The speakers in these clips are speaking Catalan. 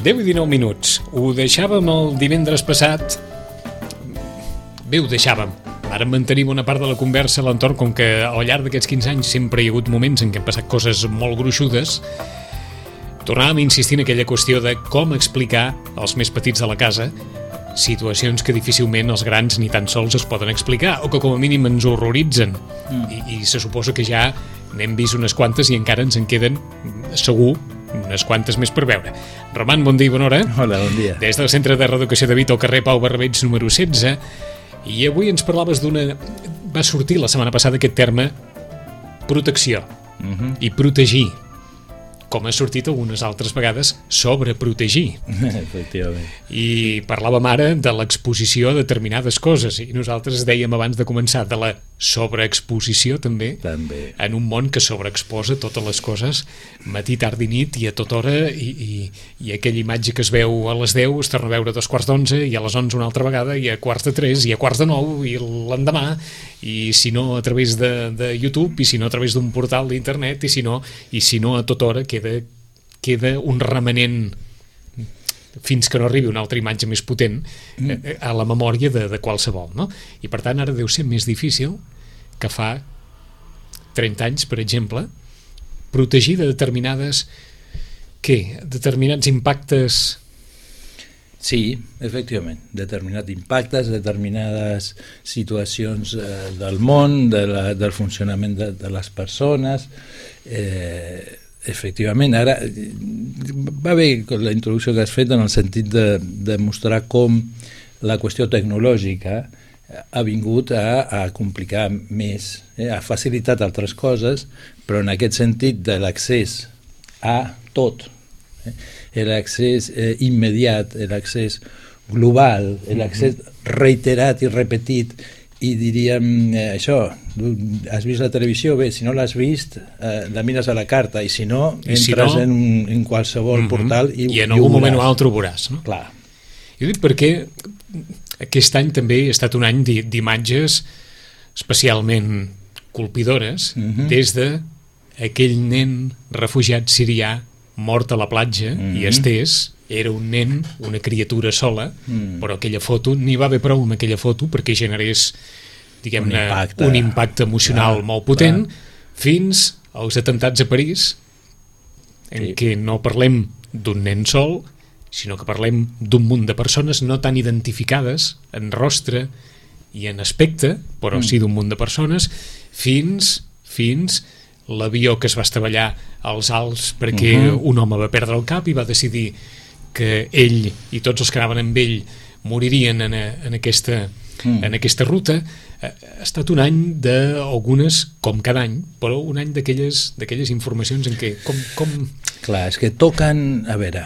10:19. Ho deixàvem el divendres passat. Bé, ho deixàvem. Ara mantenim una part de la conversa a l'entorn, com que al llarg d'aquests 15 anys sempre hi ha hagut moments en què han passat coses molt gruixudes. Tornàvem a insistir en aquella qüestió de com explicar als més petits de la casa situacions que difícilment els grans ni tan sols es poden explicar, o que com a mínim ens horroritzen. I se suposa que ja n'hem vist unes quantes i encara ens en queden, segur, unes quantes més per veure. Roman, bon dia i bona hora. Hola, bon dia. Des del Centre de Reeducació de Vic, al carrer Pau Barrabets, número 16, i avui ens parlaves d'una... Va sortir la setmana passada aquest terme protecció i protegir, com ha sortit algunes altres vegades sobreprotegir. Efectivament. I parlàvem ara de l'exposició a determinades coses, i nosaltres dèiem abans de començar de la sobreexposició també, en un món que sobreexposa totes les coses matí, tard i nit i a tota hora, i aquella imatge que es veu a les 10 es torna a veure a 2:45 i a les 11 una altra vegada i a 3:15 i a 9:15 i l'endemà, i si no a través de YouTube, i si no a través d'un portal d'internet, i si no a tota hora queda un remanent fins que no arribi una altra imatge més potent a la memòria de qualsevol, no? I per tant ara deu ser més difícil que fa 30 anys, per exemple, protegir de determinats impactes. Sí, efectivament, determinats impactes, determinades situacions del món, del funcionament de les persones. Efectivament, ara va bé la introducció que has fet en el sentit de mostrar com la qüestió tecnològica ha vingut a complicar més, ha facilitat altres coses, però en aquest sentit de l'accés a tot, l'accés immediat, l'accés global, l'accés reiterat i repetit, i diríem això, has vist la televisió? Bé, si no l'has vist, la mires a la carta, i si no, entres en qualsevol portal i en algun moment o altre ho veuràs, no? Clar. Jo dic perquè aquest any també ha estat un any d'imatges especialment colpidores, des d'aquell nen refugiat sirià mort a la platja i estès. Era un nen, una criatura sola, però aquella foto, n'hi va haver prou amb aquella foto perquè generés, diguem-ne, un impacte emocional molt potent, fins als atemptats a París, en què no parlem d'un nen sol, sinó que parlem d'un munt de persones no tan identificades en rostre i en aspecte, però sí d'un munt de persones, fins l'avió que es va estavellar als Alps perquè un home va perdre el cap i va decidir que ell i tots els que anaven amb ell moririen en aquesta ruta. Ha estat un any d'algunes, com cada any, però un any d'aquelles informacions en què... Clar, és que toquen... A veure,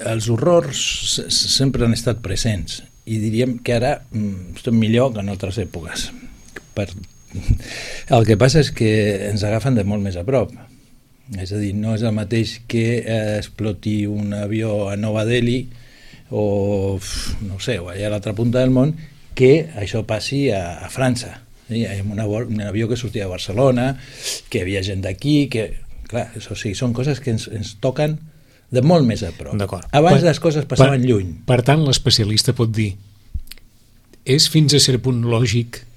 els horrors sempre han estat presents, i diríem que ara estem millor que en altres èpoques. El que passa és que ens agafen de molt més a prop. És a dir, no és el mateix que exploti un avió a Nova Delhi o, no sé, o allà a l'altra punta del món, que això passi a França. Un avió que sortia de Barcelona, que hi havia gent d'aquí, que... Clar, o sigui, són coses que ens toquen de molt més a prop. Abans les coses passaven lluny. Per tant, l'especialista pot dir, és fins a cert punt lògic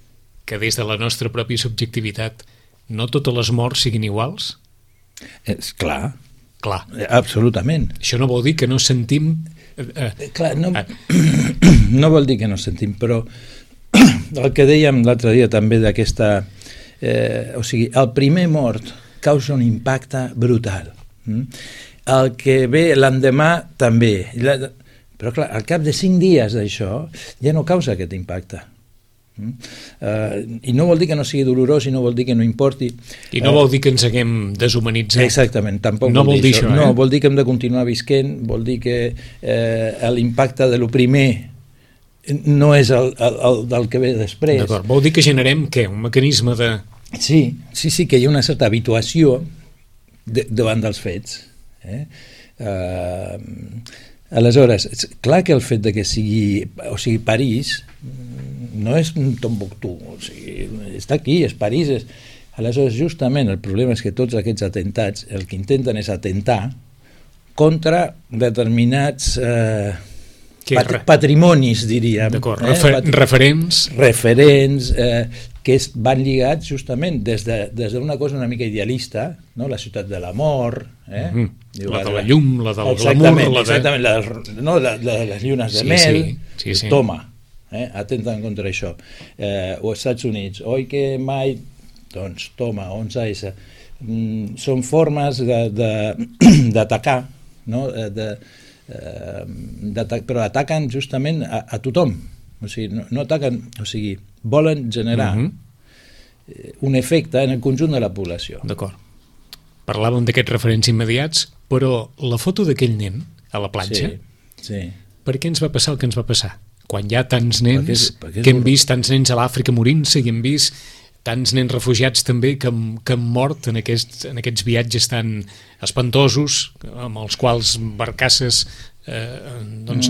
que des de la nostra pròpia subjectivitat no totes les morts siguin iguals? Clar, absolutament. Això no vol dir que no sentim... Clar, no vol dir que no sentim, però el que dèiem l'altre dia també d'aquesta... O sigui, el primer mort causa un impacte brutal. El que ve l'endemà també. Però clar, al cap de 5 dies d'això ja no causa aquest impacte. I no vol dir que no sigui dolorós, i no vol dir que no importi, i no vol dir que ens haguem deshumanitzat. Exactament, tampoc no vol dir això. No, vol dir que hem de continuar visquent, vol dir que l'impacte de lo primer no és el del que ve després. D'acord, vol dir que generem què? Un mecanisme de... Sí, que hi ha una certa habituació davant dels fets. Aleshores, clar que el fet de que sigui París no és Tombuctú, o sigui, està aquí, és París. Aleshores, justament, el problema és que tots aquests atentats el que intenten és atentar contra determinats patrimonis, diríem. D'acord, referents que van lligats justament des d'una cosa una mica idealista, no? La ciutat de l'amor, la de la llum, la del glamour, exactament, les llunes de mel, toma, atenten contra això. O als Estats Units, oi que mai, doncs toma, 11S. Són formes d'atacar, no? Però ataquen justament a tothom, o sigui, no ataquen, o sigui, volen generar un efecte en el conjunt de la població. D'acord. Parlàvem d'aquests referents immediats, però la foto d'aquell nen a la platja, per què ens va passar el que ens va passar? Quan hi ha tants nens, que hem vist tants nens a l'Àfrica morint-se i hem vist tants nens refugiats també que han mort en aquests viatges tan espantosos, amb els quals barcasses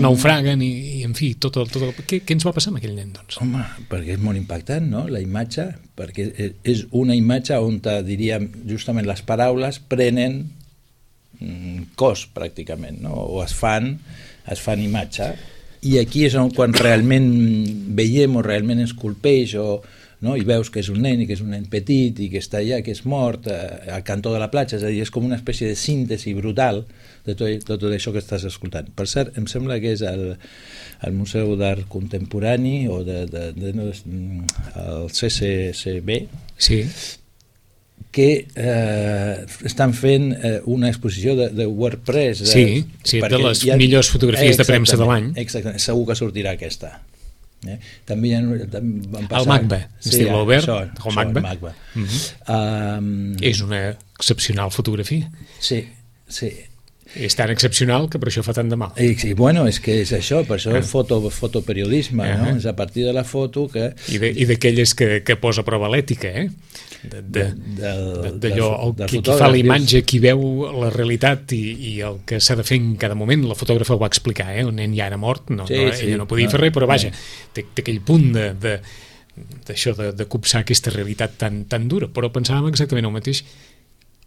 naufraguen i en fi, tot què ens va passar amb aquell nen, doncs? Home, perquè és molt impactant, no?, la imatge, perquè és una imatge on, diríem, justament les paraules prenen cos, pràcticament, no?, o es fan imatge, i aquí és quan realment veiem o realment ens colpeix no? I veus que és un nen i que és un nen petit i que està allà, que és mort al cantó de la platja, és a dir, és com una espècie de síntesi brutal de tot això que estàs escoltant. Per cert, em sembla que és el Museu d'Art Contemporani o el CCCB, que estan fent una exposició de WordPress. De les millors fotografies de premsa de l'any. Exactament, segur que sortirà aquesta. També van passar... El MACBA, estil Albert, el MACBA. És una excepcional fotografia. Sí. És tan excepcional que per això fa tant de mal. Bueno, és que és això, per això el fotoperiodisme, no? És a partir de la foto que... I d'aquelles que posa a prova l'ètica, d'allò, qui fa la imatge, qui veu la realitat i el que s'ha de fer en cada moment. La fotògrafa ho va explicar, el nen ja era mort, ella no podia fer res, però vaja, té aquell punt d'això, de copsar aquesta realitat tan dura. Però pensàvem exactament el mateix.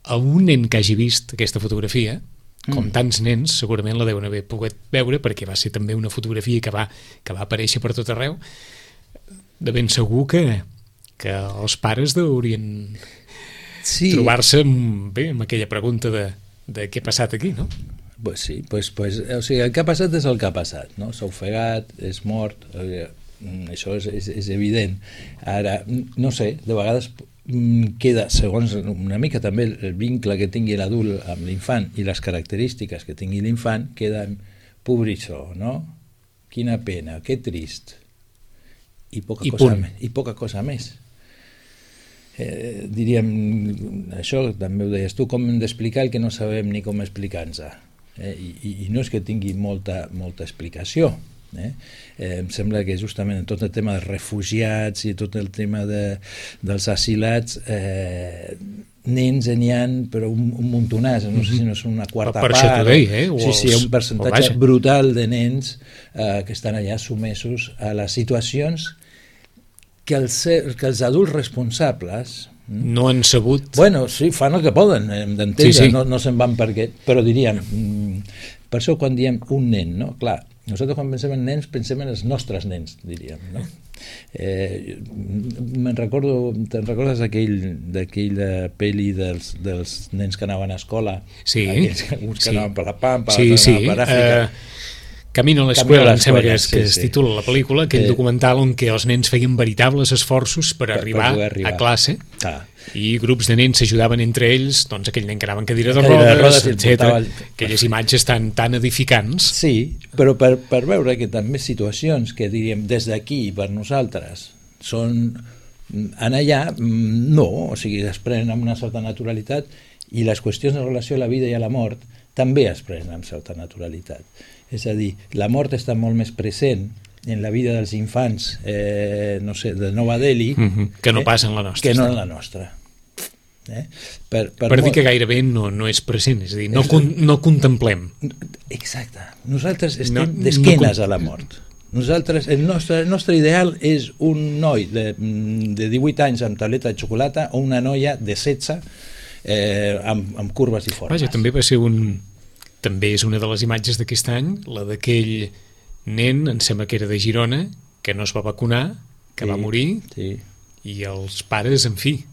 A un nen que hagi vist aquesta fotografia, com tants nens, segurament la deuen haver pogut veure, perquè va ser també una fotografia que va aparèixer per tot arreu. De ben segur que els pares deurien trobar-se amb aquella pregunta de què ha passat aquí, no? Pues sí, o sigui, el que ha passat és el que ha passat, no? S'ha ofegat, és mort, això és evident. Ara, no sé, de vegades queda, segons una mica també el vincle que tingui l'adult amb l'infant i les característiques que tingui l'infant, queda pobrissó, no? Quina pena, que trist. I poca cosa més. Diríem, això també ho deies tu, com hem d'explicar el que no sabem ni com explicar-nos. I no és que tingui molta explicació. Em sembla que justament en tot el tema dels refugiats i tot el tema dels asilats, nens n'hi ha, però un muntonàs, no sé si no és una quarta part. Per això t'ho deia, Sí, un percentatge brutal de nens que estan allà sotmesos a les situacions que els adults responsables no han sabut... Bueno, sí, fan el que poden, hem d'entendre, no se'n van perquè... Però diríem, per això quan diem un nen, no? Clar, nosaltres quan pensem en nens pensem en els nostres nens, diríem, no? Te'n recordes d'aquella pel·li dels nens que anaven a escola? Sí. Uns que anaven per la Pampa, per Àfrica... Camino a l'escola, em sembla que es titula la pel·lícula, aquell documental on que els nens feien veritables esforços per arribar a classe i grups de nens s'ajudaven entre ells, doncs aquell nen que anava en cadira de rodes, etc. Aquelles imatges tan edificants. Sí, però per veure que també situacions que diríem des d'aquí per nosaltres són anar allà, no, o sigui, es prenen amb una certa naturalitat i les qüestions en relació a la vida i a la mort també es prenen amb certa naturalitat. És a dir, la mort està molt més present en la vida dels infants, no sé, de Nova Delhi, que no passa en la nostra. Que no en la nostra. Per dir que gairebé no és present, és a dir, no contemplem. Exacte. Nosaltres estem d'esquenes a la mort. Nosaltres, el nostre ideal és un noi de 18 anys amb tauleta de xocolata o una noia de 16 amb curves i formes. Vaja, també va ser també és una de les imatges d'aquest any, la d'aquell nen, em sembla que era de Girona, que no es va vacunar, que va morir, i els pares, en fi,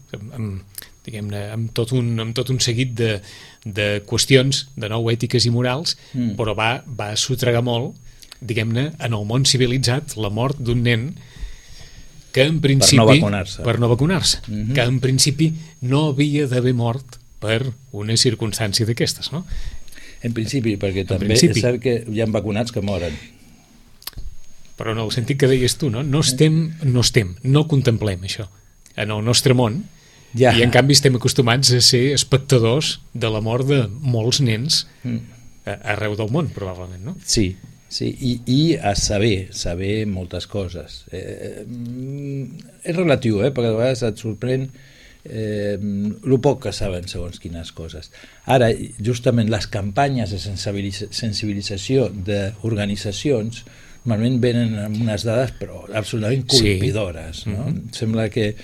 diguem-ne, amb tot un seguit de qüestions, de nou ètiques i morals, però va sotregar molt, diguem-ne, en el món civilitzat, la mort d'un nen que en principi... Per no vacunar-se. Que en principi no havia d'haver mort per una circumstància d'aquestes, no? En principi, perquè també és cert que hi ha vacunats que moren. Però en el sentit que deies tu, no? No contemplem això en el nostre món, i en canvi estem acostumats a ser espectadors de la mort de molts nens arreu del món, probablement, no? Sí, i a saber moltes coses. És relatiu, perquè a vegades et sorprèn el poc que saben segons quines coses. Ara, justament les campanyes de sensibilització d'organitzacions normalment venen amb unes dades però absolutament colpidores, no? Sembla que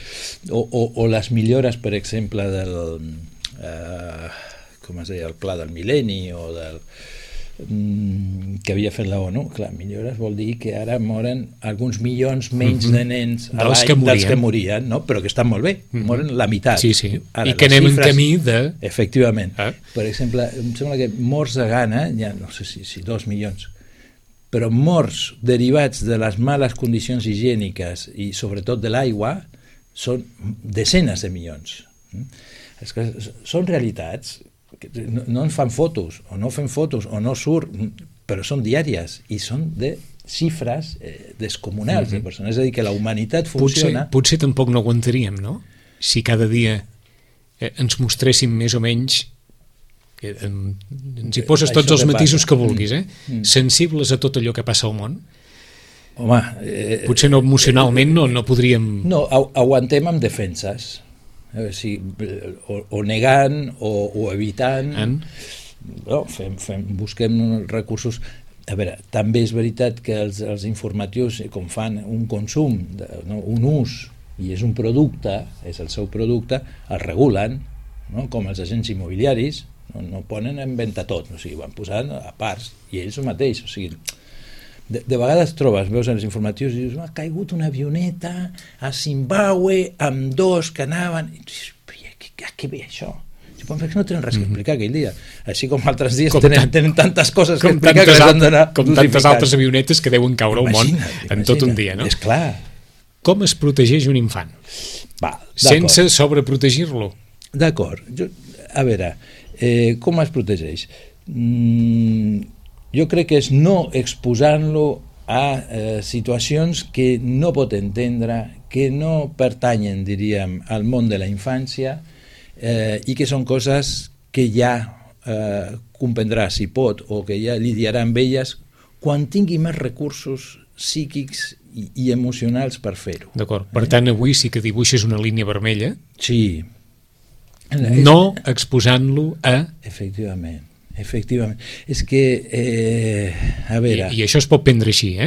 o les millores, per exemple, del com es deia, el pla del mil·lenni o del que havia fet la ONU. Clar, millores vol dir que ara moren alguns milions menys de nens a l'any dels que morien, no? Però que estan molt bé, moren la meitat. Ara, i que anem en camí de... Efectivament. Per exemple, em sembla que morts de gana, ja no sé si 2 milions, però morts derivats de les males condicions higièniques i sobretot de l'aigua són desenes de milions. És que són realitats que no ens fan fotos o no fem fotos o no surt, però són diàries i són de xifres descomunals de persones. És a dir, que la humanitat funciona... Potser tampoc no aguantaríem, no? Si cada dia ens mostréssim més o menys, ens hi poses tots els matisos que vulguis, sensibles a tot allò que passa al món. Home... Potser no emocionalment no podríem... No, aguantem amb defenses. O negant o evitant. Busquem recursos. A veure, també és veritat que els informatius, com fan un consum, un ús, i és un producte, és el seu producte, el regulen, com els agents immobiliaris, no ponen en venda tot, o sigui, van posant a parts, i ells el mateix, o sigui, de vegades veus en els informatius i dius, ha caigut una avioneta a Zimbabue amb 2 que anaven, i dius, què ve això? Perquè no tenen res que explicar aquell dia, així com altres dies tenen tantes coses que explicar que les han d'anar com tantes altres avionetes que deuen caure al món en tot un dia, no? És clar. Com es protegeix un infant? Sense sobreprotegir-lo. D'acord. A veure, com es protegeix? Jo crec que és no exposant-lo a situacions que no pot entendre, que no pertanyen, diríem, al món de la infància i que són coses que ja comprendrà si pot o que ja lidiarà amb elles quan tingui més recursos psíquics i emocionals per fer-ho. D'acord. Per tant, avui sí que dibuixes una línia vermella. Sí. No exposant-lo a... Efectivament. És que, a veure... I això es pot prendre així,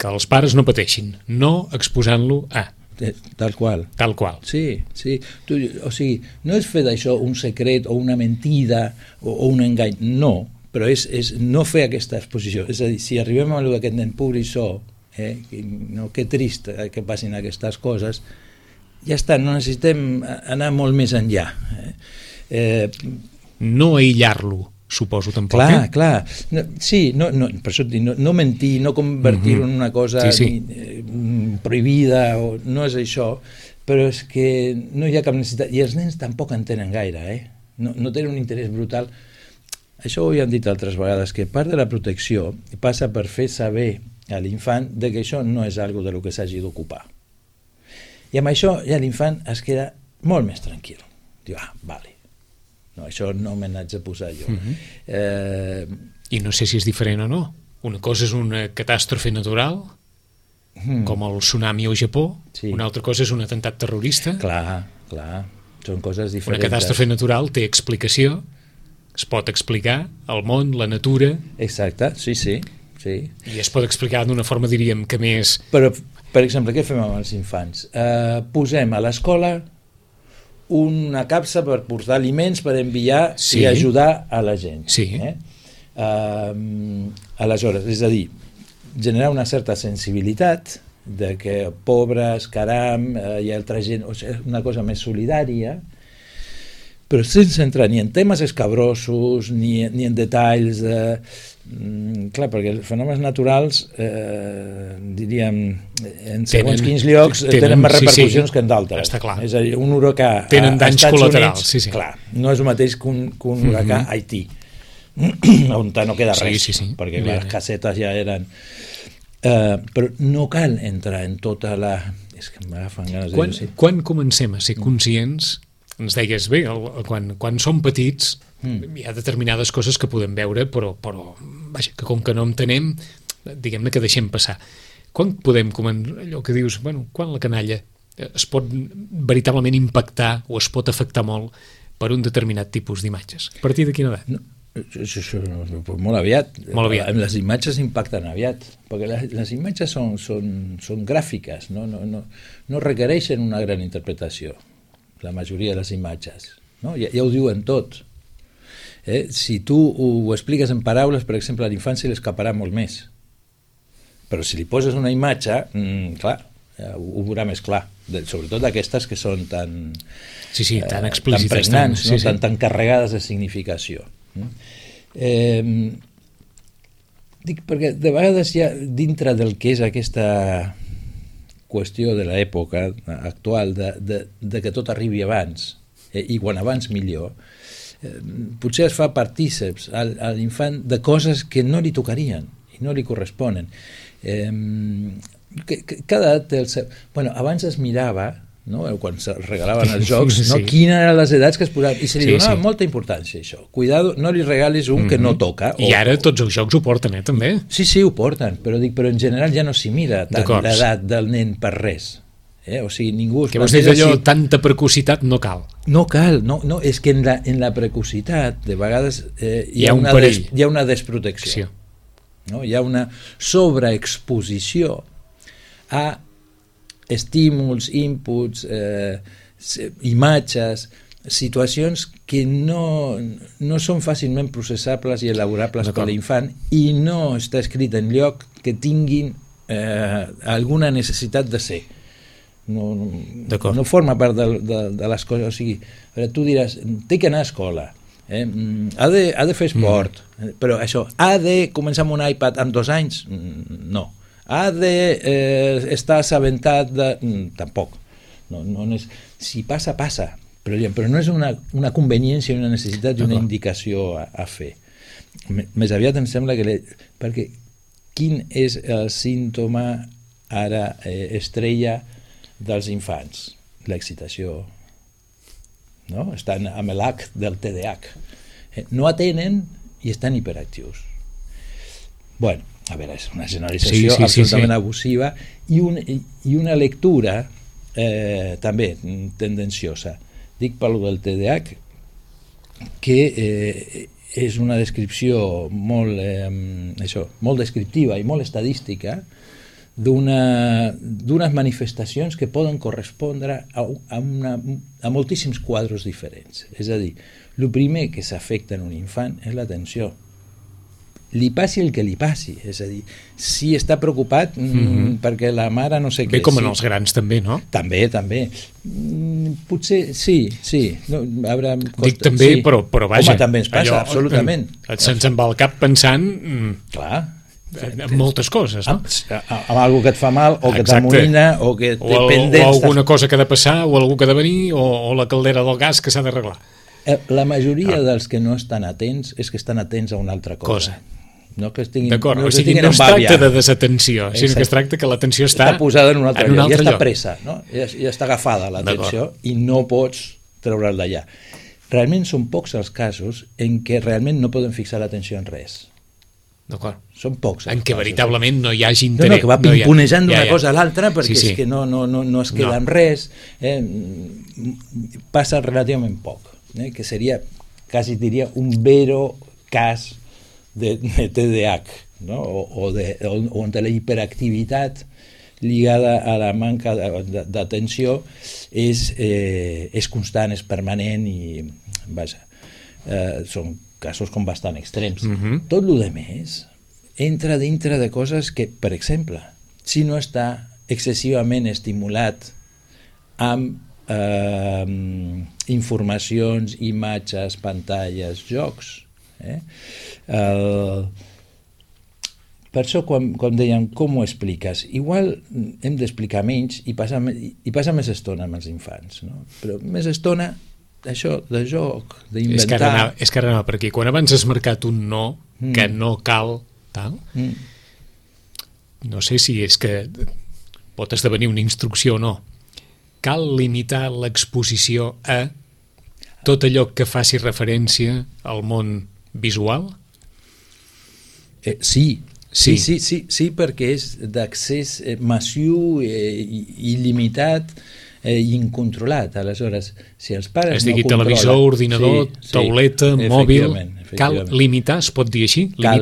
que els pares no pateixin. No exposant-lo a... Tal qual. Sí. O sigui, no és fer d'això un secret o una mentida o un engany, no, però és no fer aquesta exposició. És a dir, si arribem a aquest nen pobrissó, que trist que passin aquestes coses, ja està, no necessitem anar molt més enllà. No aïllar-lo, suposo, tampoc. Clar. Sí, per això et dic, no mentir, no convertir-ho en una cosa prohibida, no és això, però és que no hi ha cap necessitat, i els nens tampoc en tenen gaire, no tenen un interès brutal. Això ho hem dit altres vegades, que part de la protecció passa per fer saber a l'infant que això no és algo de lo que s'hagi d'ocupar. I amb això ja l'infant es queda molt més tranquil. Diu, vale, no, això no me n'haig de posar jo. I no sé si és diferent o no. Una cosa és una catàstrofe natural, com el tsunami al Japó, una altra cosa és un atemptat terrorista. Clar, són coses diferents. Una catàstrofe natural té explicació, es pot explicar el món, la natura... Exacte, sí. I es pot explicar d'una forma, diríem, que més... Però, per exemple, què fem amb els infants? Posem a l'escola una capsa per portar aliments per enviar i ajudar a la gent. Aleshores, és a dir, generar una certa sensibilitat de que pobres, caram, hi ha altra gent, o sigui, una cosa més solidària, però sense entrar ni en temes escabrosos ni en detalls clar, perquè els fenòmens naturals diríem en segons quins llocs tenen més repercussions que en d'altres. És a dir, un huracà tenen danys col·laterals, Units, clar, no és el mateix que un huracà a Haití on no queda res, perquè les casetes ja eren però no cal entrar en tota la... És que m'agafen ganes de dir... Quan comencem a ser conscients, ens deies bé, quan som petits hi ha determinades coses que podem veure, però vaja, que com que no entenem, diguem-ne que deixem passar. Quan podem, allò que dius, quan la canalla es pot veritablement impactar o es pot afectar molt per un determinat tipus d'imatges? A partir de quina edat? No. Molt aviat. Les imatges impacten aviat, perquè les imatges són gràfiques, no requereixen una gran interpretació, la majoria de les imatges, no? Ja ho diuen tot. Si tu ho expliques en paraules, per exemple, a l'infant se li escaparà molt més, però si li poses una imatge, clar, ho veurà més clar, sobretot aquestes que són tan tan explícites, tan pregnants, tan carregades de significació. Dic perquè de vegades ja dintre del que és aquesta qüestió de l'època actual de que tot arribi abans i quan abans millor, potser es fa partíceps a l'infant de coses que no li tocarien i no li corresponen. Cada edat té el seu... abans es mirava, no? Quan se regalaven els jocs, quines eren les edats que es posaven, i se li donava molta importància a això. Cuidado, no li regalis un que no toca. I ara tots els jocs ho porten, també. Sí, ho porten, però en general ja no s'hi mira tant l'edat del nen per res. O sigui, ningú... Que vols dir allò, tanta precocitat no cal. No cal, és que en la precocitat de vegades hi ha una desprotecció. Hi ha una sobreexposició a estímuls, inputs, imatges, situacions que no són fàcilment processables i elaborables per l'infant i no està escrit en lloc que tinguin alguna necessitat de ser. No forma part de les coses. O sigui, tu diràs, té que anar a escola, ha de fer esport, però això, ha de començar amb un iPad amb 2 anys? No. Ha d'estar assabentat de... Tampoc. Si passa, passa. Però no és una conveniència, una necessitat i una indicació a fer. Més aviat em sembla que... Perquè quin és el símptoma ara estrella dels infants? L'excitació. Estan amb l'H del TDAH. No atenen i estan hiperactius. Bueno, a veure, és una generalització absolutament abusiva i una lectura també tendenciosa. Dic pel del TDAH que és una descripció molt descriptiva i molt estadística d'unes manifestacions que poden correspondre a moltíssims quadres diferents. És a dir, el primer que s'afecta en un infant és l'atenció. Li passi el que li passi, és a dir, si està preocupat perquè la mare no sé què... Bé, com en els grans també, no? També. Potser sí. Dic també, però vaja... Home, també ens passa, absolutament. Se'ns en va al cap pensant... Clar. En moltes coses, no? Amb alguna que et fa mal, o que t'amoïna, o que té pendents... O alguna cosa que ha de passar, o algú que ha de venir, o la caldera del gas que s'ha d'arreglar. La majoria dels que no estan atents és que estan atents a una altra cosa. D'acord, o sigui, no es tracta de desatenció, sinó que es tracta que l'atenció està posada en un altre lloc, ja està presa, ja està agafada l'atenció i no pots treure'l d'allà. Realment són pocs els casos en què realment no poden fixar l'atenció en res. D'acord. Són pocs. En què veritablement no hi hagi interès. Que va pimponejant d'una cosa a l'altra perquè és que no es queda amb res. Passa relativament poc, que seria, quasi diria, un vero cas de TDAH, on la hiperactivitat lligada a la manca d'atenció és constant, és permanent i vaja, són casos com bastant extrems. Tot el de més entra dintre de coses que, per exemple, si no està excessivament estimulat amb informacions, imatges, pantalles, jocs. Per això, quan deien com ho expliques, igual hem d'explicar menys i passar més estona amb els infants, no? Però més estona això, de joc, d'inventar. És que ara anava per aquí. Quan abans has marcat un no, que no cal tal, no sé si és que pot esdevenir una instrucció o no. Cal limitar l'exposició a tot allò que faci referència al món visual? Sí, perquè és d'accés massiu, il·limitat i incontrolat. Aleshores, si els pares no controlen... televisor, ordinador, tauleta, mòbil... Cal limitar, es pot dir així? Cal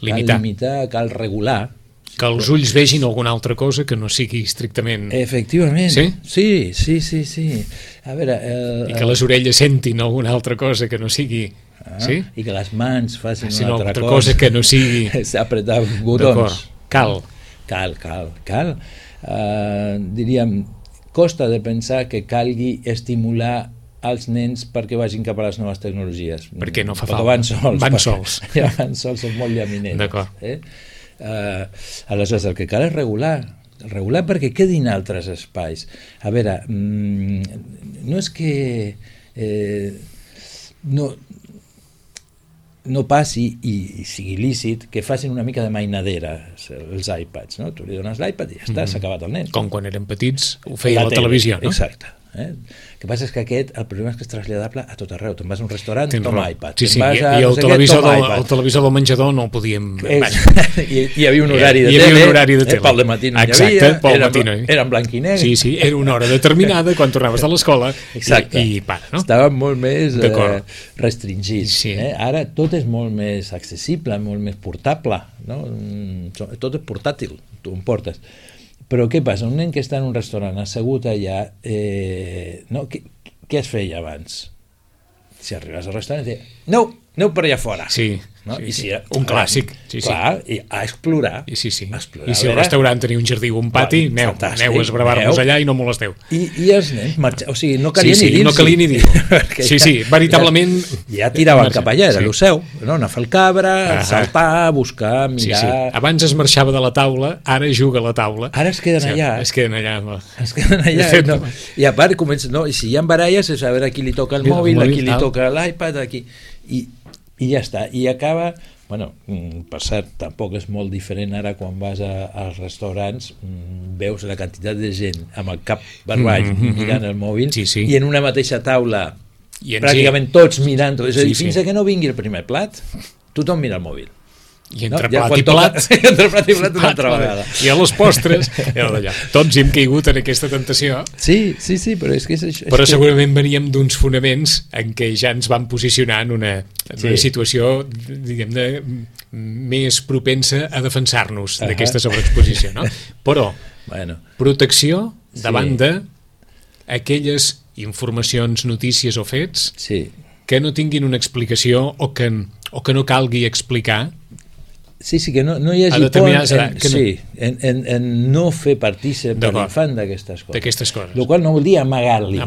limitar, cal regular. Que els ulls vegin alguna altra cosa que no sigui estrictament... Efectivament. Sí? Sí. A veure... I que les orelles sentin alguna altra cosa que no sigui... Sí? I que les mans facin una altra cosa que no sigui... apretar botons. Cal. Diríem, costa de pensar que calgui estimular als nens perquè vagin cap a les noves tecnologies. Perquè no fa falta. Van sols. Van sols, són molt llaminers. D'acord. Aleshores, el que cal és regular perquè quedin altres espais. A veure, no és que no passi i sigui lícit que facin una mica de mainadera els iPads, no? Tu li dones l'iPad i ja està, s'ha acabat el nen. Com quan érem petits ho feia la televisió, no? Exacte. El que passa és que el problema és que és traslladable a tot arreu. Te'n vas a un restaurant, toma iPad. Sí, i el televisor del menjador no el podíem... Hi havia un horari de tele, pel dematí no hi havia, era en blanc i negre. Sí, era una hora determinada quan tornaves de l'escola i para, no? Estàvem molt més restringits. Ara tot és molt més accessible, molt més portable, no? Tot és portàtil, tu em portes. Però què passa? Un nen que està en un restaurant assegut allà, què es feia abans? Si arribes al restaurant et deia, aneu per allà fora. Sí, un clàssic. Clar, i a explorar. I si el restaurant tenia un jardí o un pati, aneu a esbravar-vos allà i no molesteu. I els nens, o sigui, no calia ni dir-s'hi. No calia ni dir-ho. Sí, veritablement... Ja tiraven cap allà, era el seu. Anar a fer el cabra, saltar, buscar, mirar... Sí. Abans es marxava de la taula, ara juga a la taula. Ara es queden allà. Es queden allà. I a part comença... Si hi ha baralles, és a veure a qui li toca el mòbil, a qui li toca l'iPad, a qui... I ja està, i acaba... Bueno, per cert, tampoc és molt diferent ara quan vas als restaurants, veus la quantitat de gent amb el cap barball mirant el mòbil i en una mateixa taula pràcticament tots mirant, és a dir, fins que no vingui el primer plat, tothom mira el mòbil. I entre plat i plat una altra vegada. I a les postres tots hem caigut en aquesta tentació. Sí, però és que però segurament veníem d'uns fonaments en què ja ens vam posicionar en una situació, diguem-ne, més propensa a defensar-nos d'aquesta sobreexposició, no? Però protecció davant d'aquelles informacions, notícies o fets que no tinguin una explicació o que no calgui explicar. Sí, que no hi hagi por en no fer partícip de l'infant d'aquestes coses. El qual no vol dir amagar-li,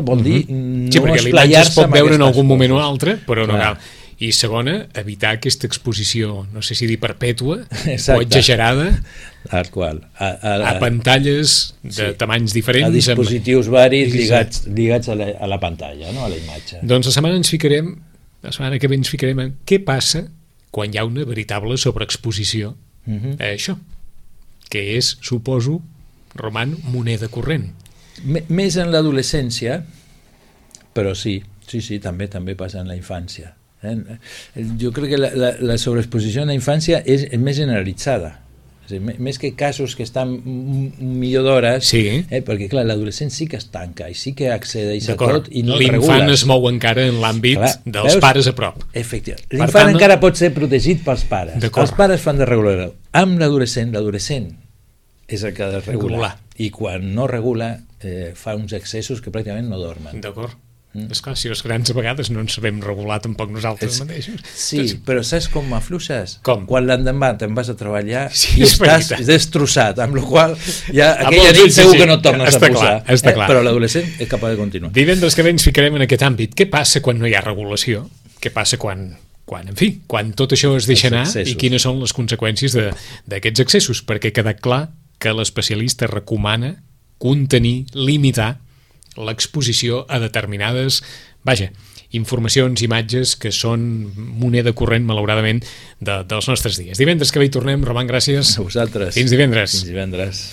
vol dir no esplayar-se. Sí, perquè l'imatge es pot veure en algun moment o altre, però no cal. I segona, evitar aquesta exposició, no sé si dir perpètua o exagerada, a pantalles de tamanys diferents. A dispositius varis lligats a la pantalla, a la imatge. Doncs la setmana que ve ens ficarem en què passa quan hi ha una veritable sobreexposició a això, que és, suposo, roman moneda corrent. Més en l'adolescència, però sí, també passa en la infància. Jo crec que la sobreexposició en la infància és més generalitzada. Més que casos que estan millor d'hores, perquè clar, l'adolescent sí que es tanca i sí que accedeix a tot i no el regules. L'infant es mou encara en l'àmbit dels pares a prop. Efectivament. L'infant encara pot ser protegit pels pares. Els pares fan de regular. Amb l'adolescent és el que ha de regular. I quan no regula fa uns excessos que pràcticament no dormen. D'acord. Esclar, si els grans a vegades no ens sabem regular tampoc nosaltres mateixos. Sí, però saps com afluixes? Com? Quan l'endemà te'n vas a treballar i estàs destrossat, amb la qual ja aquella nit segur que no et tornes a posar. Està clar. Però l'adolescent és capaç de continuar. Divendres que ve ens ficarem en aquest àmbit. Què passa quan no hi ha regulació? Què passa quan tot això es deixa anar i quines són les conseqüències d'aquests excessos? Perquè queda clar que l'especialista recomana contenir, limitar l'exposició a determinades, informacions, imatges que són moneda corrent, malauradament, dels nostres dies. Divendres que ve hi tornem. Roman, gràcies. A vosaltres. Fins divendres. Fins divendres.